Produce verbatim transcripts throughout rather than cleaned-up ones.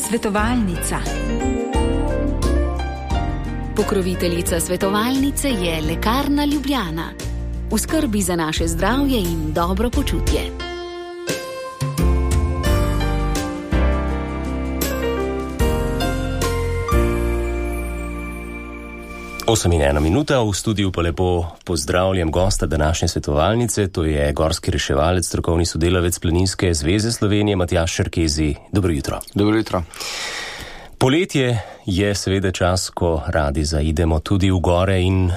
Svetovalnica. Pokroviteljica svetovalnice je Lekarna Ljubljana. V skrbi za naše zdravje in dobro počutje. osem in ena minuta, v studiu pa lepo pozdravljam gosta današnje svetovalnice, to je gorski reševalec, strokovni sodelavec Planinske zveze Slovenije, Matjaž Šerkezi. Dobro jutro. Dobro jutro. Poletje je seveda čas, ko radi zaidemo tudi v gore in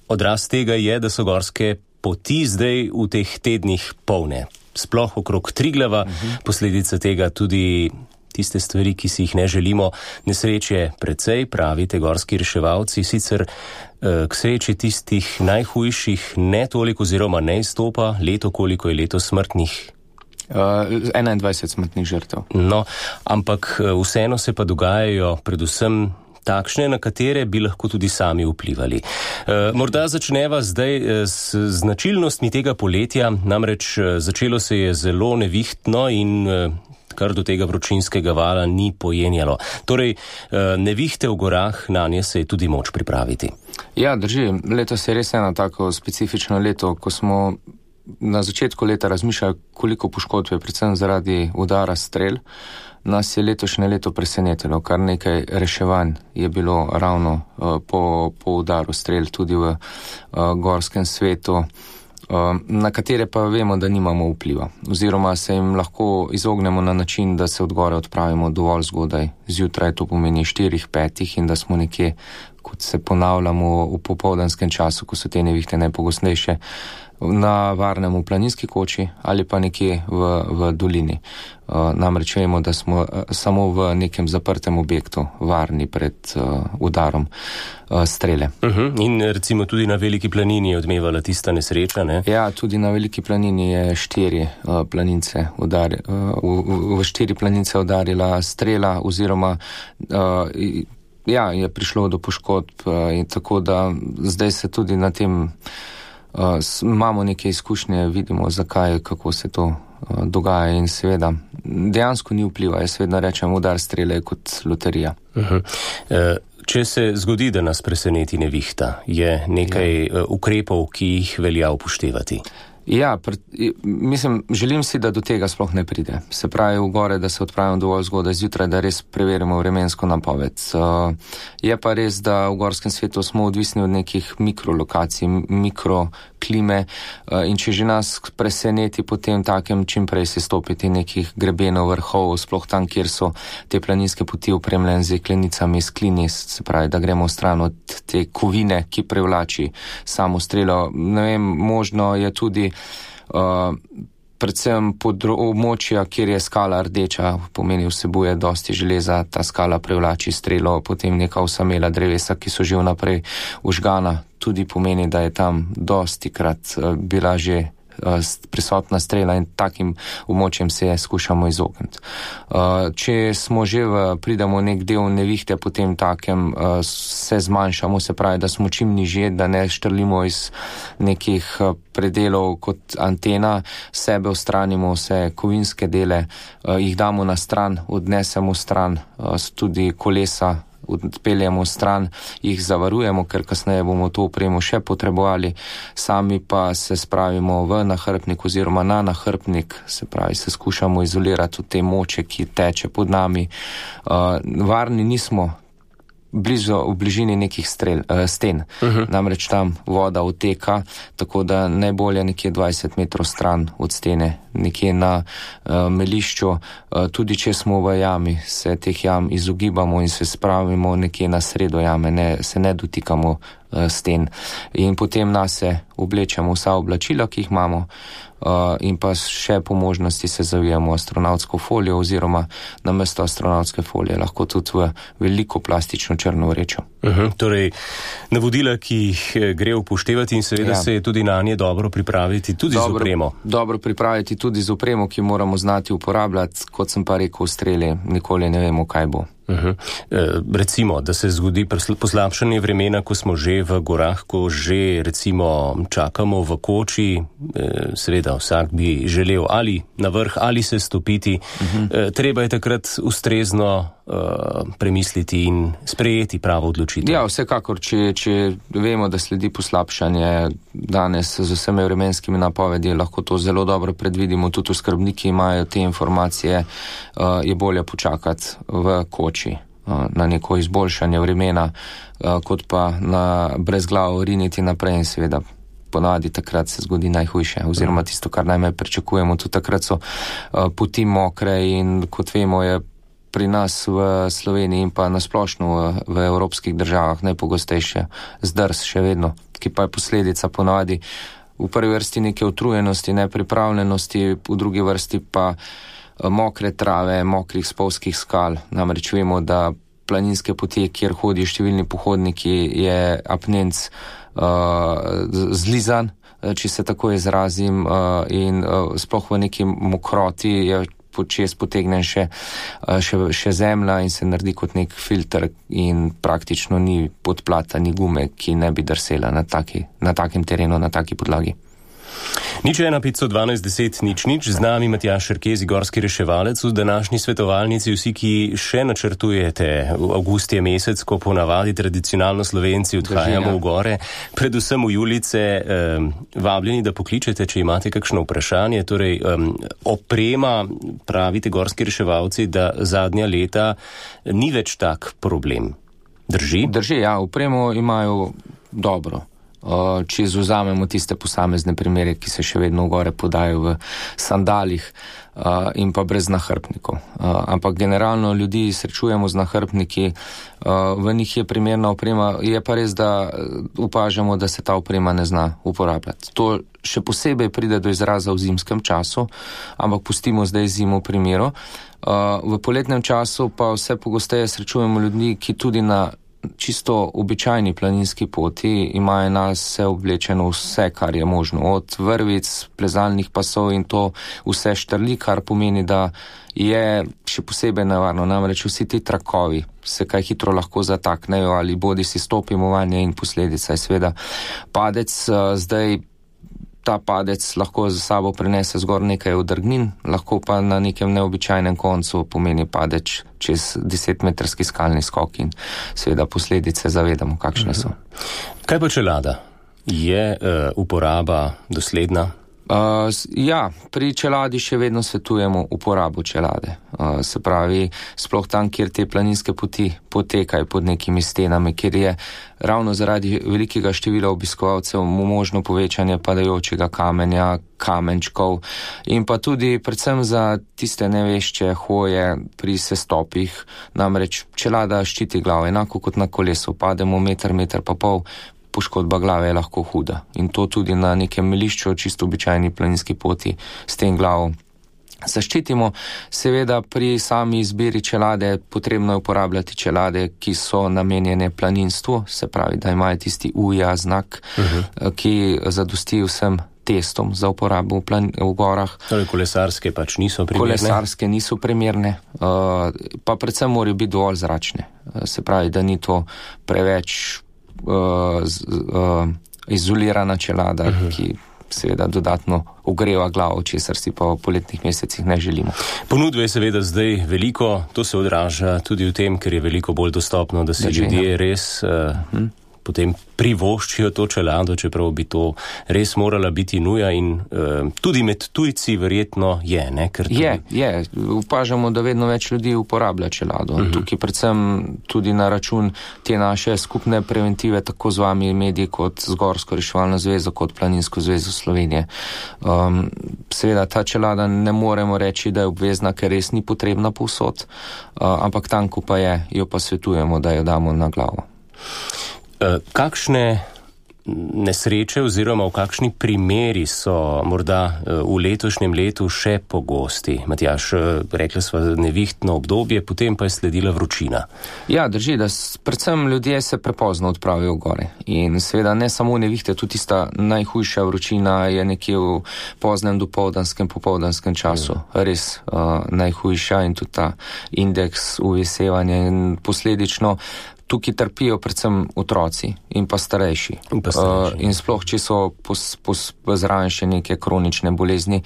odraz tega je, da so gorske poti zdaj v teh tednih polne. Sploh okrog Triglava, uh-huh. Posledica tega tudi tiste stvari, ki si jih ne želimo. Nesreče precej, pravite gorski reševalci, sicer eh, k sreči tistih najhujših ne toliko oziroma ne izstopa, leto koliko je leto smrtnih. Uh, enaindvajset smrtnih žrtev. No, ampak vseeno se pa dogajajo predvsem takšne, na katere bi lahko tudi sami vplivali. E, morda začneva zdaj s značilnostmi tega poletja, namreč začelo se je zelo nevihtno in kar do tega vročinskega vala ni pojenjalo. Torej, nevihte v gorah, na nje se je tudi moč pripraviti. Ja, drži. Letos je res eno tako specifično leto, ko smo na začetku leta razmišljali, koliko poškodb je, predvsem zaradi udara strel. Nas je letošnje leto presenetilo, kar nekaj reševanj je bilo ravno uh, po, po udaru strel tudi v uh, gorskem svetu, uh, na katere pa vemo, da nimamo vpliva. Oziroma se jim lahko izognemo na način, da se od gore odpravimo dovolj zgodaj, zjutraj, to pomeni štirih, petih in da smo nekje, kot se ponavljamo v popoldanskem času, ko so te nevihte najpogostnejše, na varnem v planinski koči ali pa nekje v, v dolini. Uh, namreč vemo, da smo uh, samo v nekem zaprtem objektu varni pred uh, udarom uh, strele. Uh-huh. In recimo tudi na Veliki planini je odmevala tista nesreča, ne? Ja, tudi na Veliki planini je štiri uh, planince udar, uh, v, v štiri planince udarila strela oziroma uh, ja, je prišlo do poškodb uh, in tako da zdaj se tudi na tem Uh, imamo neke izkušnje, vidimo zakaj, kako se to uh, dogaja in seveda dejansko ni vpliva. Jaz vedno rečem, udar strele kot loterija. Uh-huh. Uh, če se zgodi, da nas preseneti nevihta, je nekaj ja. uh, ukrepov, ki jih velja upoštevati? Ja, pr, mislim, želim si, da do tega sploh ne pride. Se pravi v gore, da se odpravimo dovolj zgodaj zjutraj, da res preverimo vremensko napoved. Uh, je pa res, da v gorskem svetu smo odvisni od nekih mikrolokacij, mikroklime uh, in če že nas preseneti potem takem čim prej se stopiti nekih grebenov, vrhov, sploh tam, kjer so te planinske poti opremljene z jeklenicami, s klini, se pravi, da gremo stran od te kovine, ki privlači samo strelo. Ne vem, možno je tudi Uh, predvsem področja, kjer je skala rdeča, pomeni vsebuje dosti železa, ta skala privlači strelo, potem neka osamela drevesa, ki so že vnaprej užgana, tudi pomeni, da je tam dosti krat uh, bila že prisotna strela in takim območjem se skušamo izogniti. Če smo že v, pridemo nek del nevihte, potem takem se zmanjšamo, se pravi, da smo čim nižje, da ne štrlimo iz nekih predelov kot antena, sebe odstranimo vse kovinske dele, jih damo na stran, odnesemo stran, tudi kolesa odpeljamo stran, jih zavarujemo, ker kasneje bomo to opremo še potrebovali, sami pa se spravimo v nahrbnik oziroma na nahrbnik, se pravi, se skušamo izolirati od te moče, ki teče pod nami. Uh, varni nismo blizu, v bližini nekih strel, uh, sten. Uh-huh. Namreč tam voda uteka, tako da najbolje nekje dvajset metrov stran od stene, nekje na uh, melišču, uh, tudi če smo v jami, se teh jam izogibamo in se spravimo nekje na sredo jame, ne, se ne dotikamo uh, sten. In potem nase oblečemo vsa oblačila, ki jih imamo, uh, in pa še po možnosti se zavijemo astronavtsko folijo oziroma namesto astronautske folije lahko tudi v veliko plastično črno vrečo. Uh-huh, torej, navodila, ki jih gre upoštevati in seveda ja. se je tudi na nje dobro pripraviti, tudi dobro, z opremo. Dobro pripraviti tudi z opremo, ki moramo znati uporabljati, kot sem pa rekel, streli, nikoli ne vemo, kaj bo. Uh-huh. E, recimo, da se zgodi poslabšanje vremena, ko smo že v gorah, ko že recimo čakamo v koči, e, seveda vsak bi želel ali na vrh ali se stopiti, uh-huh. e, treba je takrat ustrezno uh, premisliti in sprejeti pravo odločitev. Ja, vsekakor, če, če vemo, da sledi poslabšanje danes z vsemi vremenskimi napovedi, lahko to zelo dobro predvidimo, tudi skrbniki imajo te informacije, uh, je bolje počakati v koči uh, na neko izboljšanje vremena, uh, kot pa na brezglavo riniti naprej in seveda ponavadi takrat se zgodi najhujše, oziroma tisto, kar najmanj pričakujemo. Tudi takrat so uh, poti mokre in kot vemo je pri nas v Sloveniji in pa nasplošno v, v evropskih državah najpogostejše zdrs še vedno, ki pa je posledica ponavadi v prvi vrsti neke utrujenosti, nepripravljenosti, v drugi vrsti pa mokre trave, mokrih spolzkih skal. Namreč vemo, da planinske poti, kjer hodijo številni pohodniki, je apnenc uh, zlizan, če se tako izrazim, uh, in uh, sploh v neki mokroti je počes potegnen še, še, še zemlja in se naredi kot nek filter in praktično ni podplata, ni gume, ki ne bi drsela na, taki, na takem terenu, na taki podlagi. Nič ena petsto dvanajst deset nič nič, z nami Matjaž Šerkezi, gorski reševalec. V današnji svetovalnici vsi, ki še načrtujete v avgust je mesec, ko ponavadi tradicionalno Slovenci odhajamo v gore, predvsem v Julice, um, vabljeni, da pokličete, če imate kakšno vprašanje. Torej, um, oprema, pravite gorski reševalci, da zadnja leta ni več tak problem. Drži? Drži, ja, opremo imajo dobro. Uh, če izvzamemo tiste posamezne primere, ki se še vedno v gore podajo v sandalih uh, in pa brez nahrbnikov. Uh, ampak generalno ljudi srečujemo z nahrbniki, uh, v njih je primerna oprema, je pa res, da opažamo, da se ta oprema ne zna uporabljati. To še posebej pride do izraza v zimskem času, ampak pustimo zdaj zimo v primeru. Uh, v poletnem času pa vse pogosteje srečujemo ljudi, ki tudi na čisto običajni planinski poti imajo nas vse oblečeno vse, kar je možno, od vrvic, plezalnih pasov in to vse štrli, kar pomeni, da je še posebej nevarno. Namreč vsi ti trakovi se kaj hitro lahko zataknejo ali bodi si stopimo vanje in posledica je seveda padec. Zdaj ta padec lahko za sabo prinese zgor nekaj odrgnin, lahko pa na nekem neobičajnem koncu pomeni padec čez desetmetrski skalni skok in seveda posledice zavedamo, kakšne so. Kaj pa čelada? Je uh, uporaba dosledna? Uh, ja, pri čeladi še vedno svetujemo uporabo čelade. Uh, se pravi, sploh tam, kjer te planinske poti potekajo pod nekimi stenami, kjer je ravno zaradi velikega števila obiskovalcev možno povečanje padajočega kamenja, kamenčkov in pa tudi predvsem za tiste nevešče hoje pri sestopih. Namreč čelada ščiti glavo, enako kot na kolesu, pademo meter, meter pa pol, poškodba glave je lahko huda. In to tudi na nekem melišču, čisto običajni planinski poti, s tem glavo zaščitimo. Seveda pri sami izbiri čelade potrebno je uporabljati čelade, ki so namenjene planinstvu, se pravi, da imajo tisti U J A znak, uh-huh. ki zadosti vsem testom za uporabo v, plan- v gorah. Torej, kolesarske pač niso primerne? Kolesarske niso primerne, uh, pa predvsem morajo biti dovolj zračne. Uh, se pravi, da ni to preveč Uh, z, uh, izolirana čelada, uh-huh. ki seveda dodatno ogreva glavo, česar si pa v poletnih mesecih ne želimo. Ponudbe je seveda zdaj veliko, to se odraža tudi v tem, ker je veliko bolj dostopno, da si ljudje res uh, uh-huh. potem privoščijo to čelado, čeprav bi to res morala biti nuja in uh, tudi med tujci verjetno je, ne? Ker tudi... Je, je. Upažamo, da vedno več ljudi uporablja čelado. Uh-huh. Tukaj predvsem tudi na račun te naše skupne preventive, tako z vami mediji kot z Gorsko reševalno zvezo, kot Planinsko zvezo Slovenije. Um, seveda ta čelada ne moremo reči, da je obvezna, ker res ni potrebna povsod, uh, ampak tam, ko pa je, jo pa svetujemo, da jo damo na glavo. Kakšne nesreče oziroma v kakšni primeri so morda v letošnjem letu še pogosti? Matjaž, rekla sva nevihtno obdobje, potem pa je sledila vročina. Ja, drži, da predvsem ljudje se prepozno odpravijo gore. In seveda ne samo nevihte, tudi tista najhujša vročina je nekje v poznem dopoldanskem, popoldanskem času. Ja. Res uh, najhujša in tudi ta indeks uvesevanja in posledično tukaj trpijo predvsem otroci in pa starejši. In, pa starejši. Uh, in sploh, če so pos, pos, zraven še neke kronične bolezni,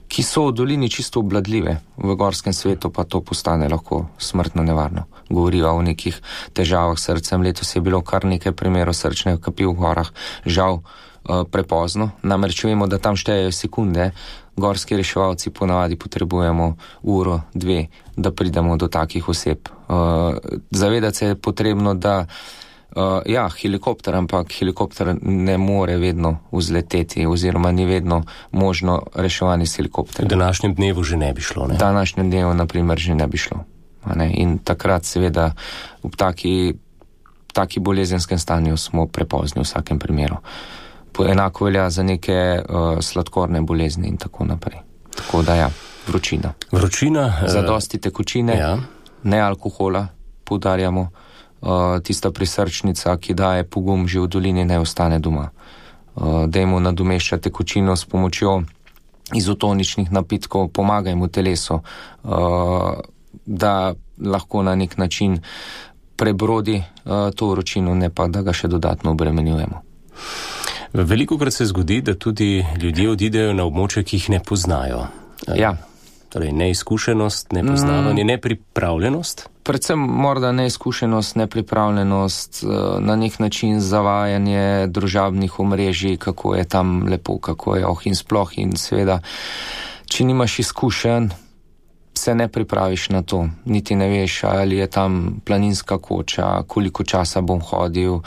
ki so v dolini čisto obvladljive, v gorskem svetu pa to postane lahko smrtno nevarno. Govorijo o nekih težavah s srcem. Letos je bilo kar nekaj primerov srčne kapi v gorah, žal uh, prepozno. Namreč vemo, da tam štejejo sekunde. Gorski reševalci ponavadi potrebujemo uro, dve, da pridemo do takih oseb. Uh, zavedati se je potrebno, da uh, ja, helikopter, ampak helikopter ne more vedno vzleteti oziroma ni vedno možno reševanje s helikopterjem. V današnjem dnevu že ne bi šlo, ne? V današnjem dnevu, na primer, že ne bi šlo. Ne? In takrat seveda v taki, taki bolezenskem stanju smo prepozni v vsakem primeru. Enako velja za neke uh, sladkorne bolezni in tako naprej. Tako da ja, vročina. Vročina. Zadosti tekočine, ja. Ne alkohola, poudarjamo. Uh, tista prisrčnica, ki daje pogum že v dolini, ne ostane doma. Uh, dajmo nadomeščati tekočino s pomočjo izotoničnih napitkov, pomagajmo telesu, uh, da lahko na nek način prebrodi uh, to vročino, ne pa da ga še dodatno obremenjujemo. Veliko krat se zgodi, da tudi ljudje odidejo na območje, ki jih ne poznajo. Ja. Torej, neizkušenost, nepoznavanje, mm. nepripravljenost? Predvsem morda neizkušenost, nepripravljenost, na nek način zavajanje družabnih omrežij, kako je tam lepo, kako je oh in sploh in seveda, če nimaš izkušenj, se ne pripraviš na to, niti ne veš, ali je tam planinska koča, koliko časa bom hodil,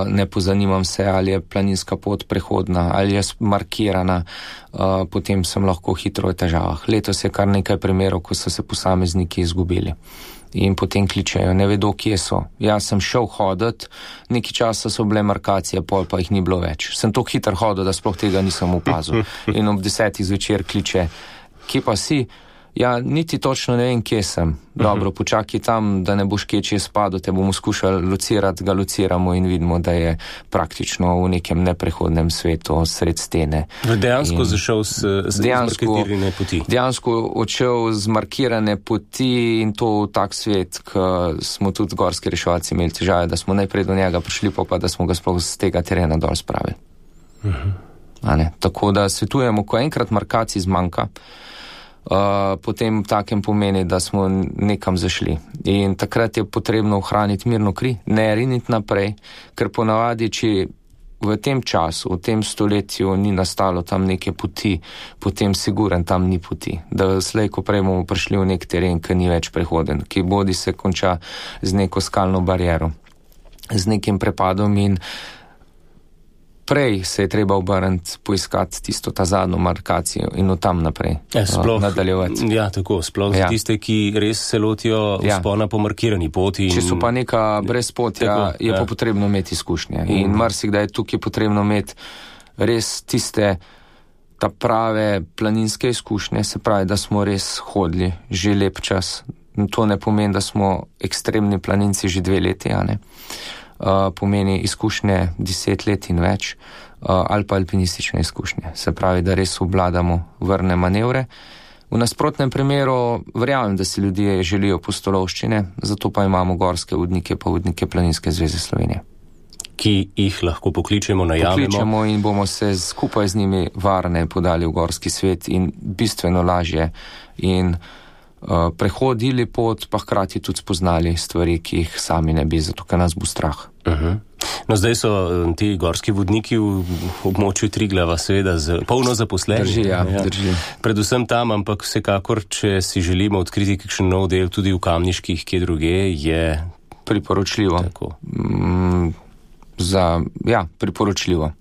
ne pozanimam se, ali je planinska pot prehodna, ali je markirana, potem sem lahko hitro v težavah. Letos je kar nekaj primerov, ko so se posamezniki izgubili in potem kličejo, ne vedo, kje so. Jaz sem šel hoditi, nekaj časa so bile markacije, pol pa jih ni bilo več. Sem tako hitro hodil, da sploh tega nisem opazil. In ob desetih zvečer kliče, kje pa si? Ja, niti točno ne vem, kje sem. Dobro, počakaj tam, da ne boš kje čez spadal, te bomo skušali locirati, ga lociramo in vidimo, da je praktično v nekem neprehodnem svetu sred stene. Dejansko in zašel z, z markirane poti. Dejansko odšel z markirane poti in to v tak svet, ker smo tudi gorski reševalci imeli težave, da smo najprej do njega prišli, pa pa da smo ga sploh z tega terena dol spravili. Uh-huh. Tako da svetujemo, ko enkrat markacij zmanjka, Uh, potem takem pomeni, da smo nekam zašli. In takrat je potrebno ohraniti mirno kri, ne riniti naprej, ker ponavadi, če v tem času, v tem stoletju ni nastalo tam neke poti, potem siguren tam ni poti. Da slej, ko prej bomo prišli v nek teren, ki ni več prehoden, ki bodi se konča z neko skalno bariero, z nekim prepadom in prej se je treba obrniti, poiskati tisto ta zadnjo markacijo in od tam naprej ja, sploh, nadaljevati. Ja, tako, sploh ja. Tiste, ki res se lotijo ja. Vzpona po markirani poti. In če so pa neka brezpotja, tako, je ja. Pa potrebno imeti izkušnje. In mm. marsikdaj je tukaj potrebno imeti res tiste ta prave planinske izkušnje, se pravi, da smo res hodili že lep čas. To ne pomeni, da smo ekstremni planinci že dve leti, a ne? Uh, pomeni izkušnje deset let in več, uh, ali pa alpinistične izkušnje. Se pravi, da res obvladamo vrne manevre. V nasprotnem primeru verjamem, da si ljudje želijo pustolovščine, zato pa imamo gorske vodnike, pa vodnike Planinske zveze Slovenije. Ki jih lahko pokličemo, najavimo. Pokličemo in bomo se skupaj z njimi varne podali v gorski svet in bistveno lažje in Uh, prehodili pot, pa hkrati tudi spoznali stvari, ki jih sami ne bi, zato ker nas bo strah. Uh-huh. No, zdaj so ti gorski vodniki v območju Triglava seveda z, polno zaposleni. Drži, ja, ja. Drži. Predvsem tam, ampak vsekakor, če si želimo odkriti kakšen nov del tudi v Kamniških, kje druge, je priporočljivo. Mm, za, ja, priporočljivo.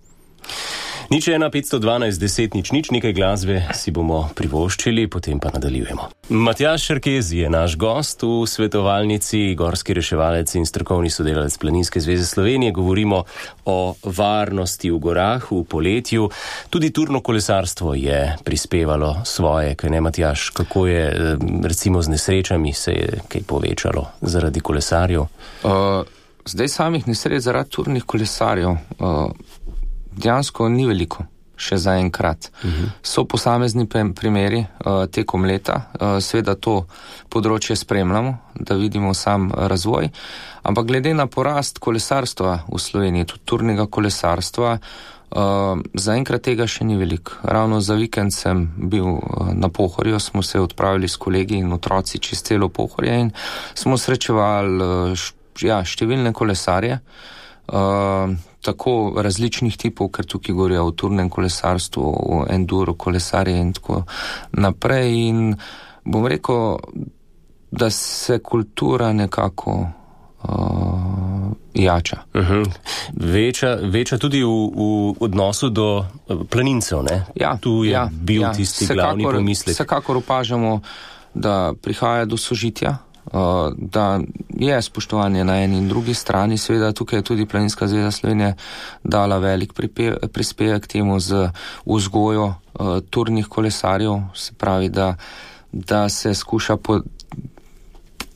Nič ena petsto dvanajst deset nič nič, nekaj glasbe si bomo privoščili, potem pa nadaljujemo. Matjaž Šerkez je naš gost v svetovalnici, gorski reševalec in strokovni sodelavec Planinske zveze Slovenije. Govorimo o varnosti v gorah v poletju. Tudi turno kolesarstvo je prispevalo svoje, kaj ne, Matjaž? Kako je recimo z nesrečami, se je kaj povečalo zaradi kolesarjev? Uh, zdaj samih nesreč zaradi turnih kolesarjev Uh... Dejansko ni veliko. še zaenkrat. Uh-huh. So posamezni primeri uh, tekom leta, uh, seveda to področje spremljamo, da vidimo sam razvoj, ampak glede na porast kolesarstva v Sloveniji, tudi turnega kolesarstva, Uh, zaenkrat tega še ni veliko. Ravno za vikend sem bil uh, na Pohorju, smo se odpravili s kolegi in otroci čez celo Pohorje in smo srečevali uh, š, ja, številne kolesarje, uh, tako različnih tipov, ker tukaj govorijo o turnem kolesarstvu, o enduro kolesarje in tako naprej. In bom rekel, da se kultura nekako uh, jača. Uh-huh. Veča, veča tudi v, v odnosu do planincev, ne? Ja, tu je ja, bil ja. tisti Vsekakor, glavni pomislek. Vsekakor opažamo, da prihaja do sožitja, da je spoštovanje na eni in drugi strani. Seveda tukaj je tudi Planinska zveza Slovenije dala velik prispevek k temu z vzgojo turnih kolesarjev, se pravi, da, da se skuša po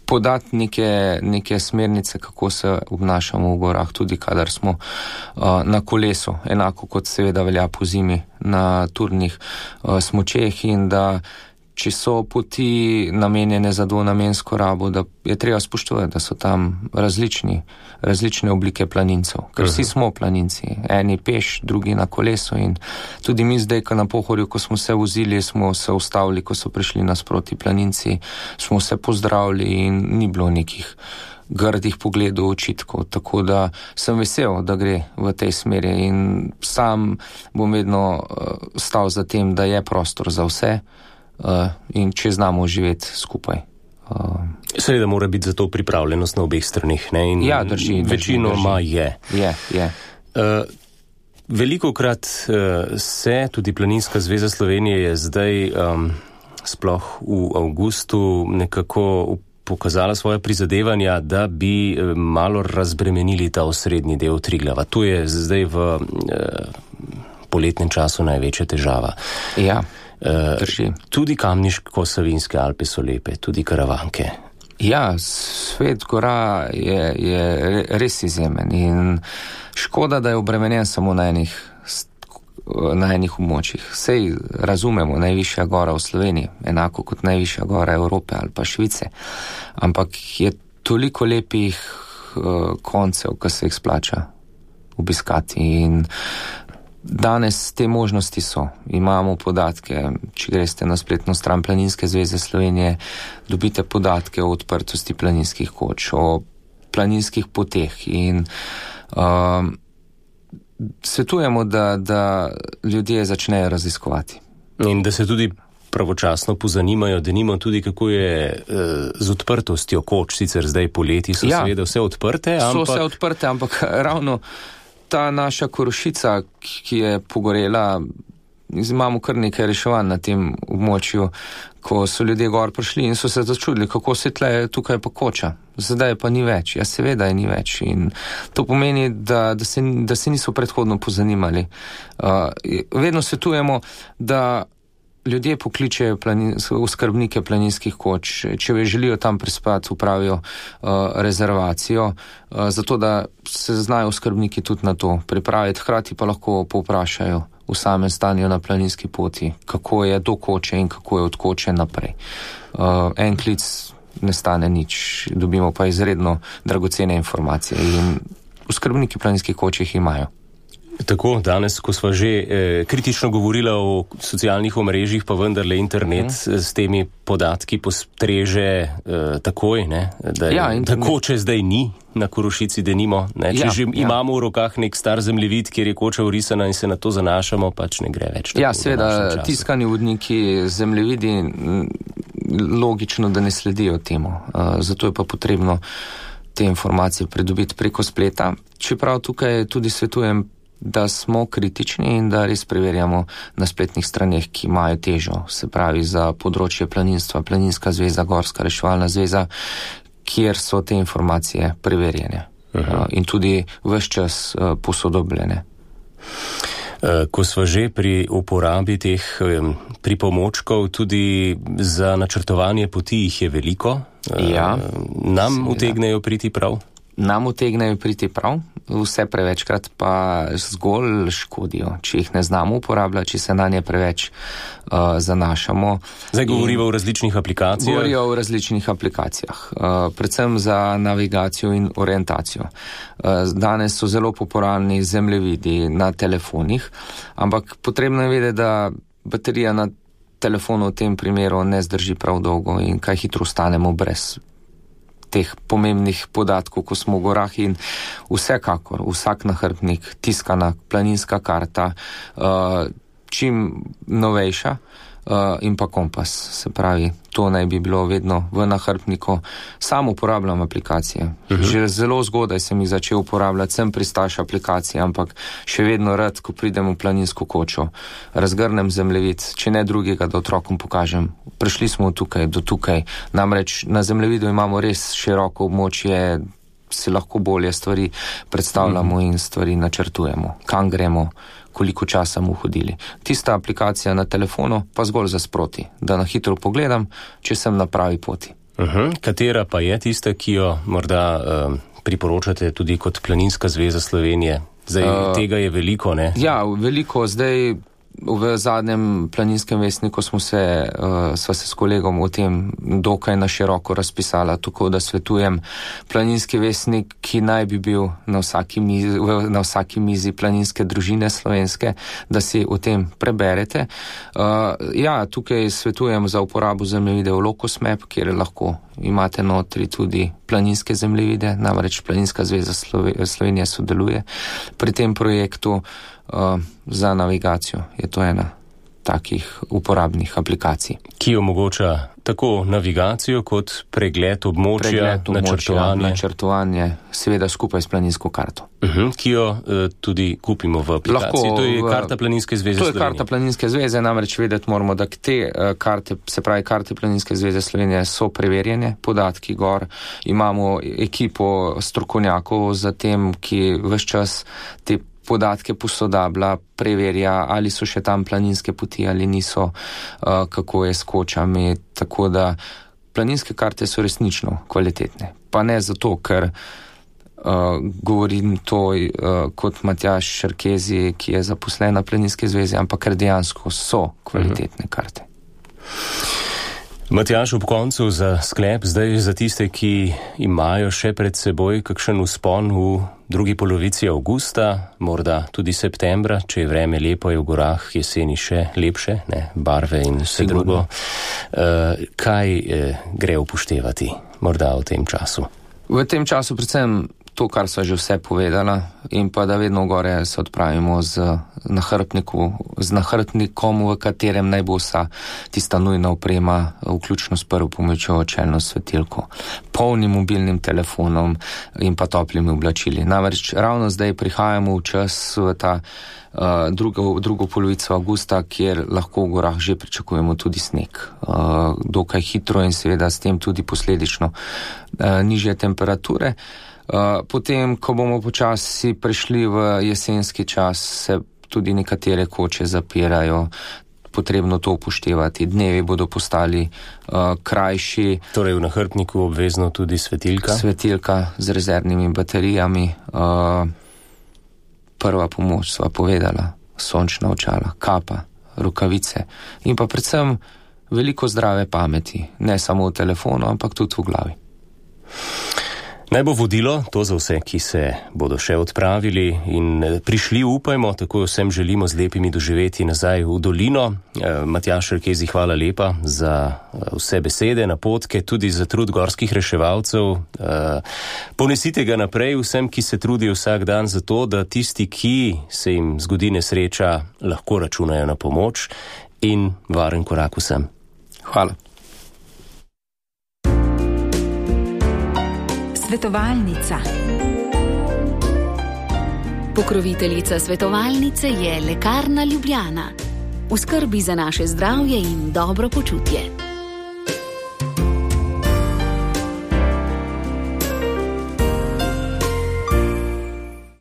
podati neke, neke smernice, kako se obnašamo v gorah, tudi kadar smo uh, na kolesu, enako kot seveda velja po zimi na turnih uh, smučeh, in da če so poti namenjene za dvonamensko rabo, da je treba spoštovati, da so tam različni, različne oblike planincev, ker vsi smo planinci, eni peš, drugi na kolesu, in tudi mi zdaj, ko na Pohorju, ko smo se vozili, smo se ustavili, ko so prišli nasproti planinci, smo se pozdravili in ni bilo nekih grdih pogledov, očitkov, tako da sem vesel, da gre v tej smeri in sam bom vedno uh, stal za tem, da je prostor za vse, Uh, in če znamo živeti skupaj. Uh, Seveda mora biti za to pripravljenost na obeh stranih, ne? In ja, drži. Večinoma je. Je, je. Uh, velikokrat uh, se tudi Planinska zveza Slovenije je zdaj um, sploh v avgustu nekako pokazala svoje prizadevanja, da bi malo razbremenili ta osrednji del Triglava. To je zdaj v uh, poletnem času največja težava. Ja. Uh, tudi Kamniško-Savinjske Alpe so lepe, tudi Karavanke. Ja, svet gora je, je res izjemen in škoda, da je obremenjen samo na enih, na enih območjih. Sej razumemo, najvišja gora v Sloveniji, enako kot najvišja gora Evrope ali pa Švice, ampak je toliko lepih uh, koncev, ki se jih splača obiskati, in danes te možnosti so. Imamo podatke, če greste na spletno stran Planinske zveze Slovenije, dobite podatke o odprtosti planinskih koč, o planinskih poteh, in um, svetujemo, da, da ljudje začnejo raziskovati. In da se tudi pravočasno pozanimajo, da nimo tudi, kako je uh, z odprtostjo koč, sicer zdaj poleti so ja, seveda vse odprte, ampak... So vse odprte, ampak ravno ta naša Korošica, ki je pogorela, imamo kar nekaj reševanj na tem območju, ko so ljudje gor prišli in so se začudili, kako se tle tukaj pa koča. Zdaj pa ni več. Ja, seveda je ni več. In to pomeni, da, da, se, da se niso predhodno pozanimali. Uh, vedno svetujemo, da ljudje pokličejo planin, oskrbnike planinskih koč, če želijo tam prespati, upravijo uh, rezervacijo, uh, zato da se znajo oskrbniki tudi na to pripraviti, hkrati pa lahko povprašajo v samem stanju na planinski poti, kako je do koče in kako je od koče naprej. Uh, en klic ne stane nič, dobimo pa izredno dragocene informacije in oskrbniki planinskih koč jih imajo. Tako, danes, ko sva že eh, kritično govorila o socialnih omrežjih, pa vendarle internet mm. s temi podatki postreže eh, takoj, ne? Da, ja, da koče zdaj ni na Korošici, da nimo. Ne? Če ja, že ja. imamo v rokah nek star zemljevid, kjer je koča urisana in se na to zanašamo, pač ne gre več. Ja, seveda, tiskani vodniki, zemljevidi, logično, da ne sledijo temu. Uh, zato je pa potrebno te informacije pridobiti preko spleta. Čeprav tukaj tudi svetujem, da smo kritični in da res preverjamo na spletnih straneh, ki imajo težo, se pravi za področje planinstva, Planinska zveza, Gorska reševalna zveza, kjer so te informacije preverjene uh, in tudi ves čas uh, posodobljene. Ko sva že pri uporabi teh pripomočkov, tudi za načrtovanje poti jih je veliko, ja, nam seveda. utegnejo priti prav? Nam utegnejo priti prav. vse prevečkrat pa zgolj škodijo, če jih ne znamo uporabljati, če se na nje preveč uh, zanašamo. Zdaj govorijo o različnih aplikacijah? Govorijo o različnih aplikacijah, uh, predvsem za navigacijo in orientacijo. Uh, danes so zelo popularni zemljevidi na telefonih, ampak potrebno je vedeti, da baterija na telefonu v tem primeru ne zdrži prav dolgo in kaj hitro ostanemo brez teh pomembnih podatkov, ko smo v gorah, in vsekakor vsak nahrbtnik, tiskana planinska karta, uh, čim novejša, uh, in pa kompas. Se pravi, to naj bi bilo vedno v nahrbtniku. Sam uporabljam aplikacije. Uh-huh. Že zelo zgodaj sem jih začel uporabljati, sem pristaš aplikacije, ampak še vedno rad, ko pridem v planinsko kočo, razgrnem zemljevid, če ne drugega, da otrokom pokažem. Prišli smo tukaj, do tukaj. Namreč na zemljevidu imamo res široko območje, si lahko bolje stvari predstavljamo uh-huh. in stvari načrtujemo. Kam gremo, koliko časa mu hodili. Tista aplikacija na telefonu pa zgolj za sproti, da na hitro pogledam, če sem na pravi poti. Uh-huh. Katera pa je tista, ki jo morda uh, priporočate tudi kot Planinska zveza Slovenije? Zdaj, uh, tega je veliko, ne? Ja, veliko. Zdaj v zadnjem Planinskem vestniku smo se, uh, sva se s kolegom o tem dokaj na široko razpisala, tako da svetujem Planinski vestnik, ki naj bi bil na vsaki mizi, na vsaki mizi planinske družine slovenske, da si o tem preberete. Uh, ja, tukaj svetujem za uporabo zemljevide v Locus Map, kjer lahko imate notri tudi planinske zemljevide, namreč Planinska zveza Slovenije sodeluje pri tem projektu. Uh, za navigacijo je to ena takih uporabnih aplikacij. Ki omogoča tako navigacijo kot pregled območja, pregled območja načrtovanje. načrtovanje, seveda skupaj s planinsko karto. Uh-huh, ki jo uh, tudi kupimo v aplikaciji. Lahko, to je v, karta Planinske zveze Slovenije. To je karta Planinske zveze, namreč vedeti moramo, da te uh, karte, se pravi karte Planinske zveze Slovenije so preverjene, podatki gor, imamo ekipo strokovnjakov za tem, ki ves čas te podatke posodablja, preverja, ali so še tam planinske poti ali niso, uh, kako je s kočami, tako da planinske karte so resnično kvalitetne. Pa ne zato, ker uh, govorim to uh, kot Matjaž Šerkezi, ki je zaposlen na Planinske zveze, ampak ker dejansko so kvalitetne karte. Matjaž, ob koncu za sklep, zdaj za tiste, ki imajo še pred seboj kakšen vzpon v drugi polovici avgusta, morda tudi septembra, če je vreme lepo, je v gorah jeseni še lepše, ne, barve in vse Sigurno. drugo. Uh, kaj uh, gre upoštevati morda v tem času? V tem času predvsem to, kar sva že vse povedala, in pa da vedno gore se odpravimo z, z nahrbtnikom, v katerem naj bo vsa tista nujna oprema, vključno s prvo pomočjo, čelno svetilko, polnim mobilnim telefonom in pa toplimi oblačili. Namreč ravno zdaj prihajamo v čas v ta uh, drugo, drugo polovico avgusta, kjer lahko v gorah že pričakujemo tudi sneg. Uh, dokaj hitro in seveda s tem tudi posledično uh, nižje temperature. Uh, potem, ko bomo počasi prišli v jesenski čas, se tudi nekatere koče zapirajo, potrebno to upoštevati. Dnevi bodo postali uh, krajši. Torej v nahrbtniku obvezno tudi svetilka? Svetilka z rezervnimi baterijami. Uh, prva pomoč sva povedala, sončna očala, kapa, rokavice in pa predvsem veliko zdrave pameti, ne samo v telefonu, ampak tudi v glavi. Naj bo vodilo to za vse, ki se bodo še odpravili in prišli, upajmo, tako vsem želimo z lepimi doživeti nazaj v dolino. Matjaž Šerkezi, hvala lepa za vse besede, napotke, tudi za trud gorskih reševalcev. Ponesite ga naprej vsem, ki se trudijo vsak dan za to, da tisti, ki se jim zgodi nesreča, lahko računajo na pomoč, in varen korak vsem. Hvala. Svetovalnica. Pokroviteljica svetovalnice je Lekarna Ljubljana. V skrbi za naše zdravje in dobro počutje.